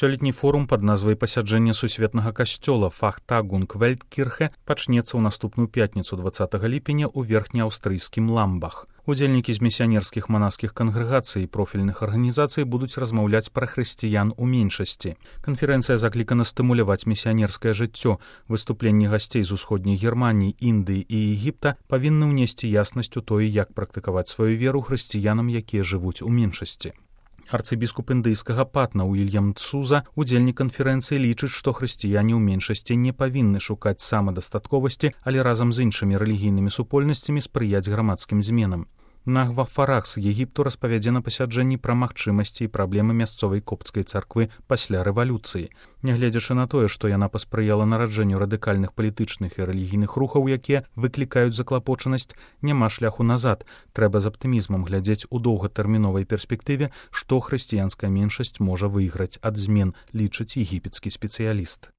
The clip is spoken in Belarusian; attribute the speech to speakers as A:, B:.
A: Сёлетні форум пад назвай пасяджэння сусветнага касцёла Фахтагунг Вельткірхе пачнецца ў наступную пятніцу 20 ліпеня ў верхнеаўстрыйскім Ламбах. Удзельнікі з місіянерскіх манаскіх кангрэгацый і профільных арганізацый будуць размаўляць пра хрысціян у меншасці. Канферэнцыя заклікана стымуляваць місіянерскае жыццё. Выступленні гасцей з усходняй Германіі, Індыі і Егіпта павінны ўнесці яснасць у тое, як практыкаваць сваю веру хрысціянам, якія жывуць у меншасці. Арцыбіскуп індыйскага Патна Уільям Цуза, удзельнік канферэнцыі, лічыць, што хрысціяне ў меншасці не павінны шукаць самадастатковасці, але разам з іншымі рэлігійнымі супольнасцямі спрыяць грамадскім зменам. Нагва Фарах з Егіпту распавядзе на пасяджэнні пра магчымасці і праблемы мясцовай копцкай царквы пасля рэвалюцыі. Нягледзячы на тое, што яна паспрыяла нараджэнню радыкальных палітычных і рэлігійных рухаў, якія выклікаюць заклапочанасць, няма шляху назад. Трэба з аптымізмам глядзець у доўгатэрміновай перспектыве, што хрысціянская меншасць можа выйграць ад змен, лічыць егіпецкі спецыяліст.